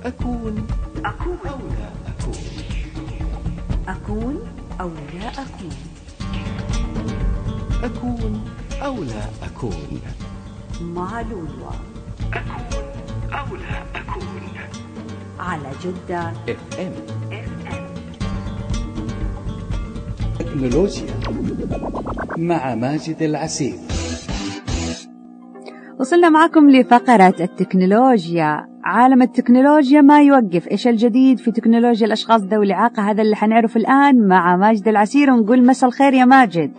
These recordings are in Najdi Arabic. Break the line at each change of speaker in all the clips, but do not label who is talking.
أكون أو لا أكون.
أكون أو لا أكون.
أكون أو لا أكون.
مع لولو.
أكون أو لا أكون.
على جدة
FM. تكنولوجيا مع ماجد العسيري.
وصلنا معكم لفقرة التكنولوجيا. عالم التكنولوجيا ما يوقف. إيش الجديد في تكنولوجيا الأشخاص ذوي الإعاقة؟ هذا اللي حنعرف الآن مع ماجد العسيري. ونقول مساء الخير يا ماجد.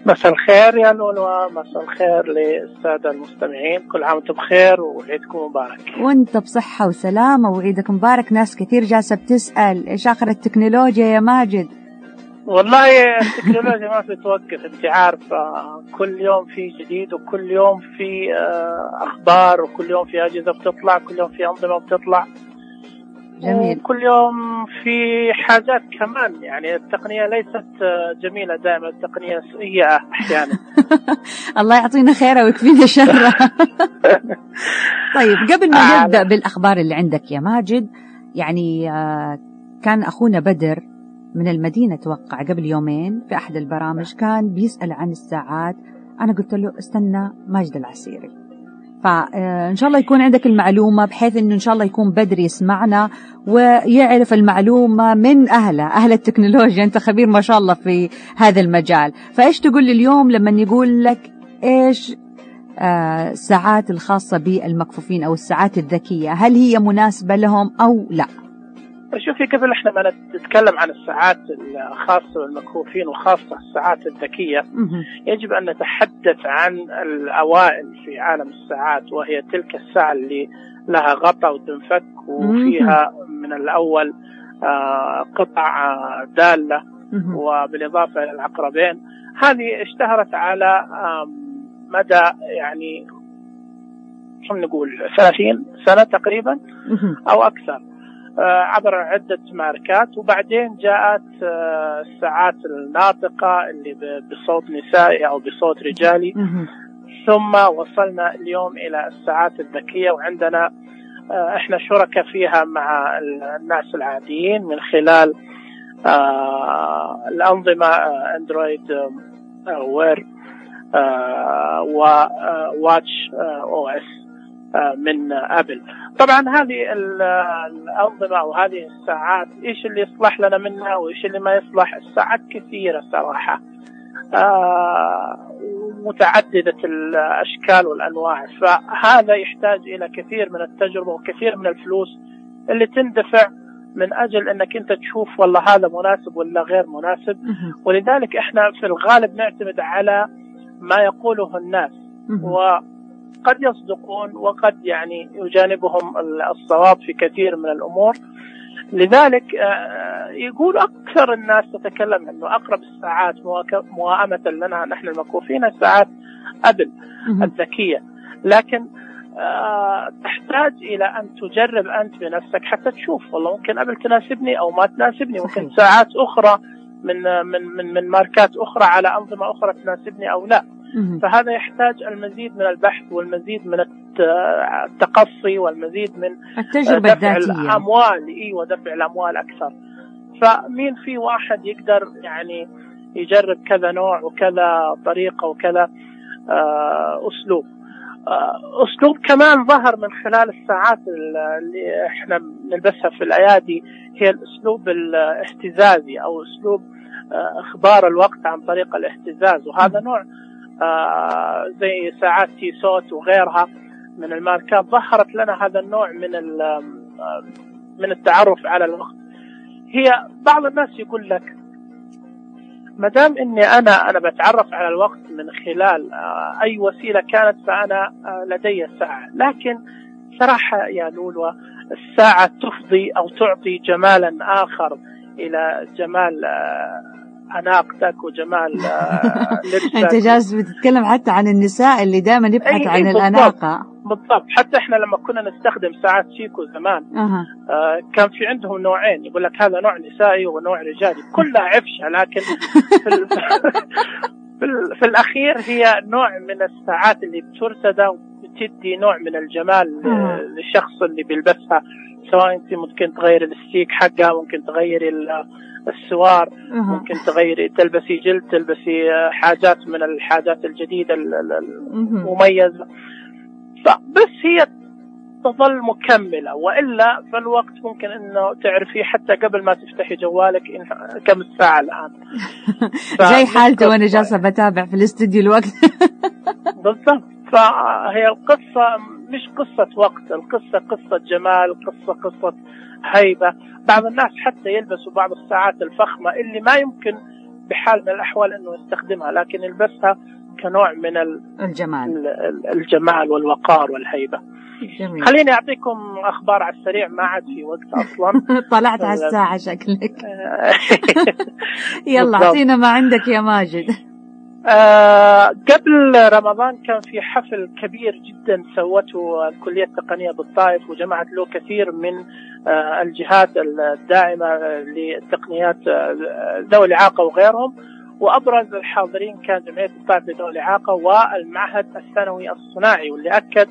مساء الخير يا لولو، مساء الخير للسادة المستمعين، كل عام وانتم بخير وعيدكم مبارك.
وانت بصحة وسلامة وعيدك مبارك. ناس كثير جالسة بتسأل إيش آخر التكنولوجيا يا ماجد؟
والله التكنولوجيا ما بتوقف، انت عارفة كل يوم في جديد، وكل يوم في أخبار، وكل يوم في أجهزة بتطلع، كل يوم في أنظمة بتطلع.
جميل.
وكل يوم في حاجات كمان، يعني التقنية ليست جميلة دائما، التقنية سيئة أحيانا.
الله يعطينا خيرها ويكفينا شرها. طيب قبل ما نبدأ بالأخبار اللي عندك يا ماجد، يعني كان أخونا بدر من المدينة توقع قبل يومين في أحد البرامج، كان بيسأل عن الساعات. أنا قلت له استنى ماجد العسيري، فإن شاء الله يكون عندك المعلومة، بحيث إنه إن شاء الله يكون بدر يسمعنا ويعرف المعلومة من أهل التكنولوجيا. أنت خبير ما شاء الله في هذا المجال. فإيش تقول لي اليوم لما يقول لك إيش الساعات الخاصة بالمكفوفين أو الساعات الذكية، هل هي مناسبة لهم أو لا؟
شوفي، قبل احنا ما نتكلم عن الساعات الخاصة بالمكفوفين وخاصة الساعات الذكية، يجب أن نتحدث عن الأوائل في عالم الساعات، وهي تلك الساعة اللي لها غطاء وتنفك وفيها من الأول قطع دالة، وبالإضافة إلى العقربين. هذه اشتهرت على مدى يعني خلينا نقول 30 سنة تقريبا أو أكثر، عبر عدة ماركات. وبعدين جاءت الساعات الناطقة اللي بصوت نسائي أو بصوت رجالي، ثم وصلنا اليوم إلى الساعات الذكية، وعندنا إحنا شركة فيها مع الناس العاديين من خلال الأنظمة أندرويد وير وواتش أو إس من أبل. طبعا هذه الأنظمة وهذه الساعات إيش اللي يصلح لنا منها وإيش اللي ما يصلح؟ الساعات كثيرة صراحة، متعددة الأشكال والأنواع، فهذا يحتاج إلى كثير من التجربة وكثير من الفلوس اللي تندفع من أجل أنك أنت تشوف والله هذا مناسب ولا غير مناسب. ولذلك إحنا في الغالب نعتمد على ما يقوله الناس، وقد يصدقون وقد يعني يجانبهم الصواب في كثير من الأمور. لذلك يقول أكثر الناس تتكلم أنه أقرب الساعات موائمة لنا نحن المكفوفين الساعات أبل الذكية، لكن تحتاج إلى أن تجرب أنت بنفسك حتى تشوف والله ممكن أبل تناسبني أو ما تناسبني، ممكن ساعات أخرى من ماركات أخرى على أنظمة أخرى تناسبني أو لا. فهذا يحتاج المزيد من البحث والمزيد من التقصي والمزيد من
التجربة
دفع
الذاتية،
الأموال ودفع الأموال أكثر. فمين في واحد يقدر يعني يجرب كذا نوع وكذا طريقة وكذا أسلوب كمان ظهر من خلال الساعات اللي احنا نلبسها في الأيادي، هي الأسلوب الاهتزازي أو أسلوب إخبار الوقت عن طريق الاهتزاز. وهذا نوع زي ساعات تيسوت وغيرها من الماركات ظهرت لنا هذا النوع من التعرف على الوقت. هي بعض الناس يقول لك ما دام اني انا بتعرف على الوقت من خلال اي وسيله كانت فانا لدي ساعه، لكن صراحه يا لولو الساعه تفضي او تعطي جمالا اخر الى جمال أناقتك وجمال لبسك.
أنت جالس بتتكلم حتى عن النساء اللي دائما يبحث عن الأناقة.
بالضبط. حتى إحنا لما كنا نستخدم ساعات شيكو زمان كان في عندهم نوعين، يقول لك هذا نوع نسائي ونوع رجالي، كلها عفشة، لكن في الأخير هي نوع من الساعات اللي بترتدى تدي نوع من الجمال للشخص اللي بيلبسها، سواء انت ممكن تغير الستيك حقها، ممكن تغيري السوار، ممكن تغيري تلبسي جلد، تلبسي حاجات من الحاجات الجديدة المميزة، فبس هي تظل مكملة. وإلا فالوقت ممكن إنه تعرفي حتى قبل ما تفتحي جوالك كم الساعة الآن.
زي حالتي وأنا جالسة بتابع في الاستوديو الوقت.
بالضبط. فهي القصة مش قصة وقت، القصة قصة جمال، قصة هيبة. بعض الناس حتى يلبسوا بعض الساعات الفخمة اللي ما يمكن بحال من الأحوال إنه يستخدمها، لكن يلبسها كنوع من الجمال والوقار والهيبة. جميل. خليني أعطيكم أخبار على السريع، ما عاد في وقت أصلا.
طلعت على الساعة شكلك. يلا أعطينا ما عندك يا ماجد.
قبل رمضان كان في حفل كبير جدا سوته الكلية التقنية بالطائف، وجمعت له كثير من الجهات الداعمة للتقنيات ذوي الإعاقة وغيرهم، وأبرز الحاضرين كان جمعية الطائف لذوي الإعاقة والمعهد الثانوي الصناعي، واللي أكد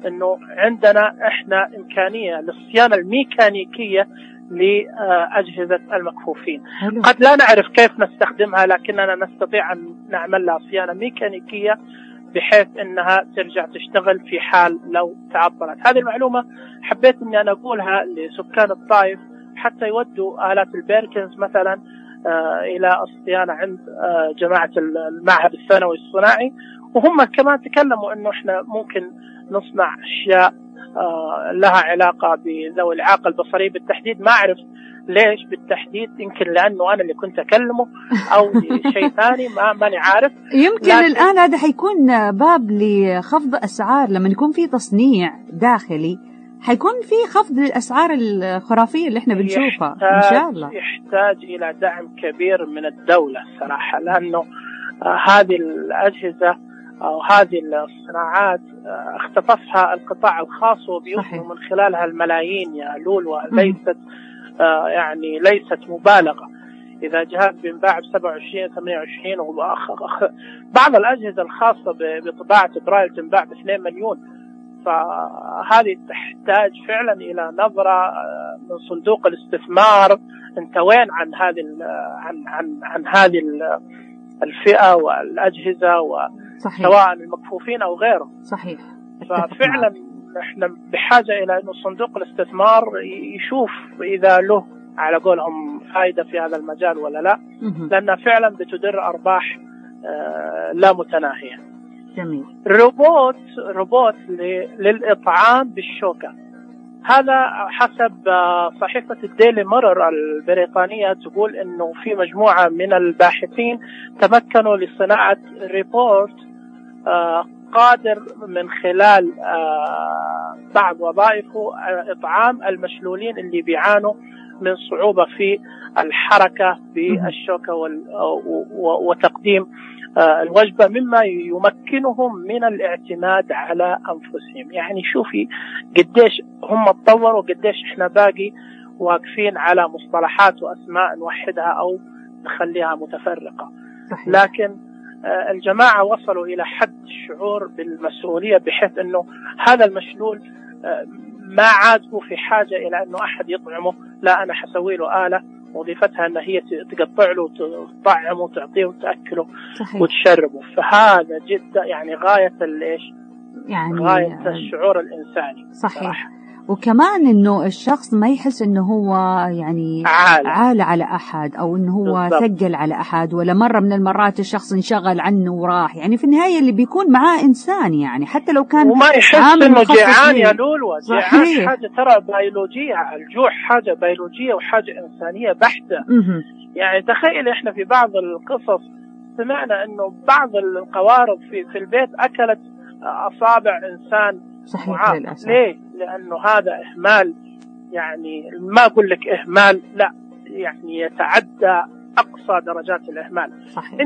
أنه عندنا إحنا إمكانية للصيانة الميكانيكية لأجهزة المكفوفين. قد لا نعرف كيف نستخدمها، لكننا نستطيع أن نعمل لها صيانة ميكانيكية بحيث أنها ترجع تشتغل في حال لو تعطلت. هذه المعلومة حبيت أني أنا أقولها لسكان الطائف حتى يودوا آلات البيركنز مثلا إلى الصيانة عند جماعة المعهد الثانوي الصناعي، وهم كمان تكلموا أنه إحنا ممكن نصنع أشياء لها علاقة بذوي الإعاقة البصرية بالتحديد. ما أعرف ليش بالتحديد، يمكن لأنه أنا اللي كنت أكلمه أو شيء ثاني، ماني عارف.
يمكن الآن هذا حيكون باب لخفض أسعار، لما يكون في تصنيع داخلي حيكون في خفض الأسعار الخرافية اللي احنا بنشوفها إن شاء الله.
يحتاج إلى دعم كبير من الدولة صراحة، لأنه هذه الأجهزة أو هذه الصناعات اختطفها القطاع الخاص وبيوصل من خلالها الملايين يا لولو. ليست يعني ليست مبالغة. إذا جهاز بينباع ب27 28 بعض الأجهزة الخاصة بطباعة برايل تنباع ب2 مليون. فهذه تحتاج فعلا إلى نظرة من صندوق الاستثمار. انت وين عن هذه عن هذه الفئة والأجهزة سواء المكفوفين أو غيره.
صحيح.
ففعلا احنا بحاجة إلى أنه صندوق الاستثمار يشوف إذا له على قولهم فائدة في هذا المجال ولا لا، لأنها فعلا بتدر أرباح لا متناهية.
جميل.
روبوت للإطعام بالشوكة. هذا حسب صحيفة الديلي ميرور البريطانية، تقول أنه في مجموعة من الباحثين تمكنوا لصناعة ريبورت قادر من خلال بعض وظائفه إطعام المشلولين اللي بيعانوا من صعوبة في الحركة بالشوكة وتقديم الوجبة، مما يمكنهم من الاعتماد على أنفسهم. يعني شوفي قديش هم تطوروا، قديش احنا باقي واقفين على مصطلحات وأسماء نوحدها أو نخليها متفرقة. صحيح. لكن الجماعة وصلوا إلى حد الشعور بالمسؤولية، بحيث أنه هذا المشلول ما عاد هو في حاجة إلى أنه أحد يطعمه، لا أنا حسوي له آلة وظيفتها أن هي تقطع له وتطعمه وتعطيه وتأكله. صحيح. وتشربه. فهذا جدا يعني غاية يعني غاية الشعور الإنساني.
صحيح. صراحة. وكمان إنه الشخص ما يحس إنه هو يعني عالة على أحد، أو إنه هو ثقل على أحد، ولا مرة من المرات الشخص انشغل عنه وراح. يعني في النهاية اللي بيكون معاه إنسان، يعني حتى لو كان
وما يحس إنه جيعان يا لولو. جيعان حاجة ترى بيولوجية، الجوع حاجة بيولوجية وحاجة إنسانية بحتة. يعني تخيل إحنا في بعض القصص سمعنا إنه بعض القوارض في البيت أكلت أصابع إنسان.
صحيح.
ليه؟ لأنه هذا إهمال، يعني ما أقول لك إهمال، لا يعني يتعدى أقصى درجات الإهمال.
صحيح.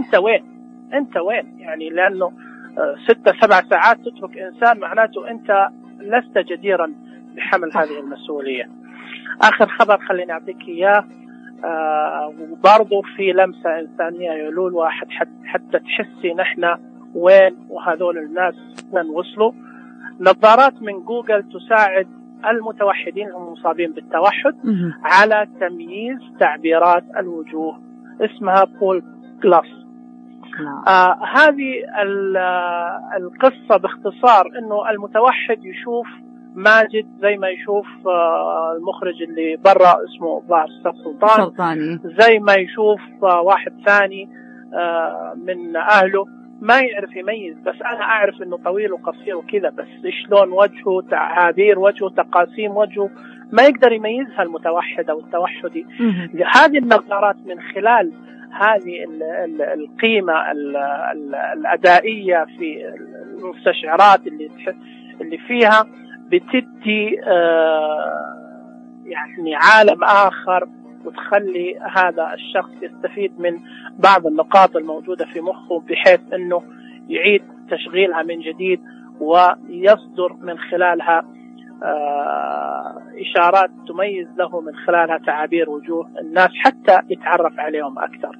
أنت وين يعني، لأنه 6-7 ساعات تترك إنسان، معناته أنت لست جديرا بحمل هذه المسؤولية. آخر خبر خليني أعطيك إياه، وبرضو في لمسة إنسانية يقولون واحد حتى تحسي نحن وين وهذول الناس وين وصلوا. نظارات من جوجل تساعد المتوحدين المصابين بالتوحد على تمييز تعبيرات الوجوه، اسمها بول جلاس. هذه القصة باختصار انه المتوحد يشوف ماجد زي ما يشوف المخرج اللي برا اسمه ظاهر سلطاني، زي ما يشوف واحد ثاني من اهله، ما يعرف يميز. بس انا اعرف انه طويل وقصير وكذا، بس شلون وجهه، تعابير وجهه، تقاسيم وجهه، ما يقدر يميزها المتوحد او التوحدي. هذه النظارات من خلال هذه القيمة الأدائية في المستشعرات اللي فيها بتدي يعني عالم آخر، وتخلي هذا الشخص يستفيد من بعض النقاط الموجودة في مخه، بحيث أنه يعيد تشغيلها من جديد ويصدر من خلالها إشارات تميز له من خلالها تعابير وجوه الناس حتى يتعرف عليهم أكثر.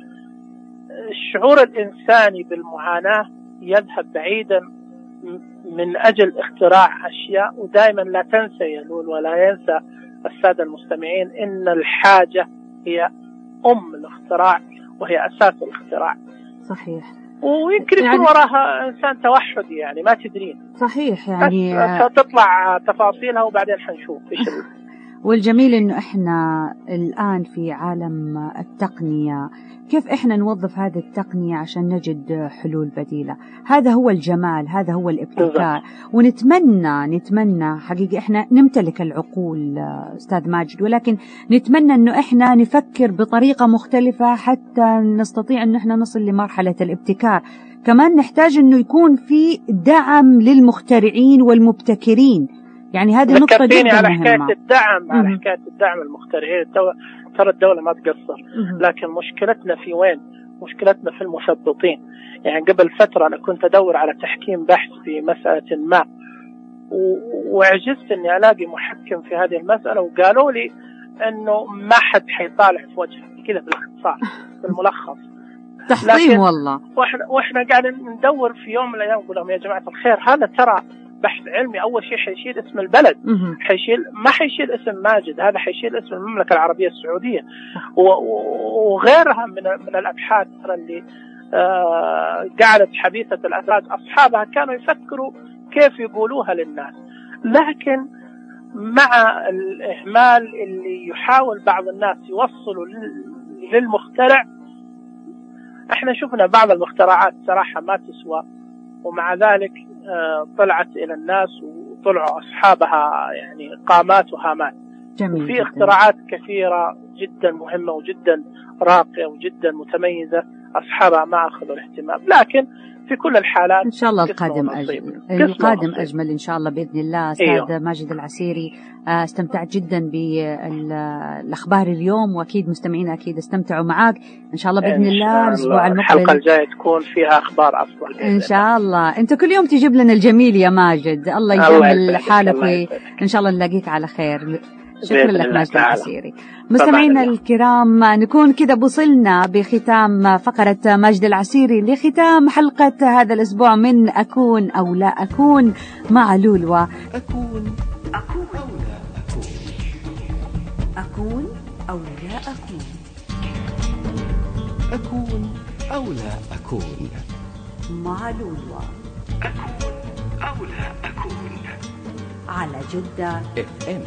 الشعور الإنساني بالمعاناة يذهب بعيدا من أجل اختراع أشياء. ودائما لا تنسى يلول ولا ينسى السادة المستمعين إن الحاجة هي الاختراع وهي أساس الاختراع.
صحيح.
ويمكن يكون وراها إنسان توحدي، يعني ما تدرين.
صحيح، يعني
تطلع تفاصيلها وبعدين حنشوف إيش.
والجميل إنه إحنا الآن في عالم التقنية، كيف إحنا نوظف هذه التقنية عشان نجد حلول بديلة. هذا هو الجمال، هذا هو الابتكار. ونتمنى حقيقة إحنا نمتلك العقول أستاذ ماجد، ولكن نتمنى إنه إحنا نفكر بطريقة مختلفة حتى نستطيع إنه إحنا نصل لمرحلة الابتكار. كمان نحتاج إنه يكون في دعم للمخترعين والمبتكرين. يعني هذه نقطة جدا
على
مهمة.
حكاية الدعم، على حكاية الدعم المخترعين. ترى الدولة ما تقصر، لكن مشكلتنا في وين؟ مشكلتنا في المثبطين. يعني قبل فترة أنا كنت أدور على تحكيم بحث في مسألة ما، وعجزت إني ألاقي محكم في هذه المسألة، وقالوا لي إنه ما حد حيطالع في وجهك كذا بالاختصار بالملخص.
تحطيم والله.
وإحنا قاعدين ندور في يوم من الأيام، نقول لهم يا جماعة الخير هذا ترى بحث علمي. أول شيء حيشيل اسم البلد، ما حيشيل اسم ماجد، هذا حيشيل اسم المملكة العربية السعودية وغيرها من الأبحاث اللي قعدت حديثة الأثبات أصحابها كانوا يفكروا كيف يقولوها للناس. لكن مع الإهمال اللي يحاول بعض الناس يوصلوا للمخترع، احنا شفنا بعض المخترعات صراحة ما تسوى، ومع ذلك طلعت إلى الناس وطلعوا أصحابها يعني قامات وهامات. وفي اختراعات كثيرة جدا مهمة وجدا راقية وجدا متميزة أصحابها ما أخذوا الاهتمام. لكن في كل الحالات
إن شاء الله القادم أجمل إن شاء الله بإذن الله. أستاذ ماجد العسيري، استمتعت جدا بالأخبار اليوم، وأكيد مستمعين أكيد استمتعوا معك. إن شاء الله بإذن الله الأسبوع المقبل
الحلقة الجاية تكون فيها أخبار أفضل
إن شاء الله. أنت كل يوم تجيب لنا الجميل يا ماجد. الله يجمل حالك، وإن شاء الله نلاقيك على خير. شكرا لك ماجد العسيري. مستمعينا الكرام، نكون كده وصلنا بختام فقرة ماجد العسيري لختام حلقة هذا الأسبوع من أكون أو لا أكون مع لولوى.
أكون أو لا أكون.
أكون أو لا أكون.
أكون أو لا أكون
مع لولوى.
أكون أو لا أكون
على جدة
FM.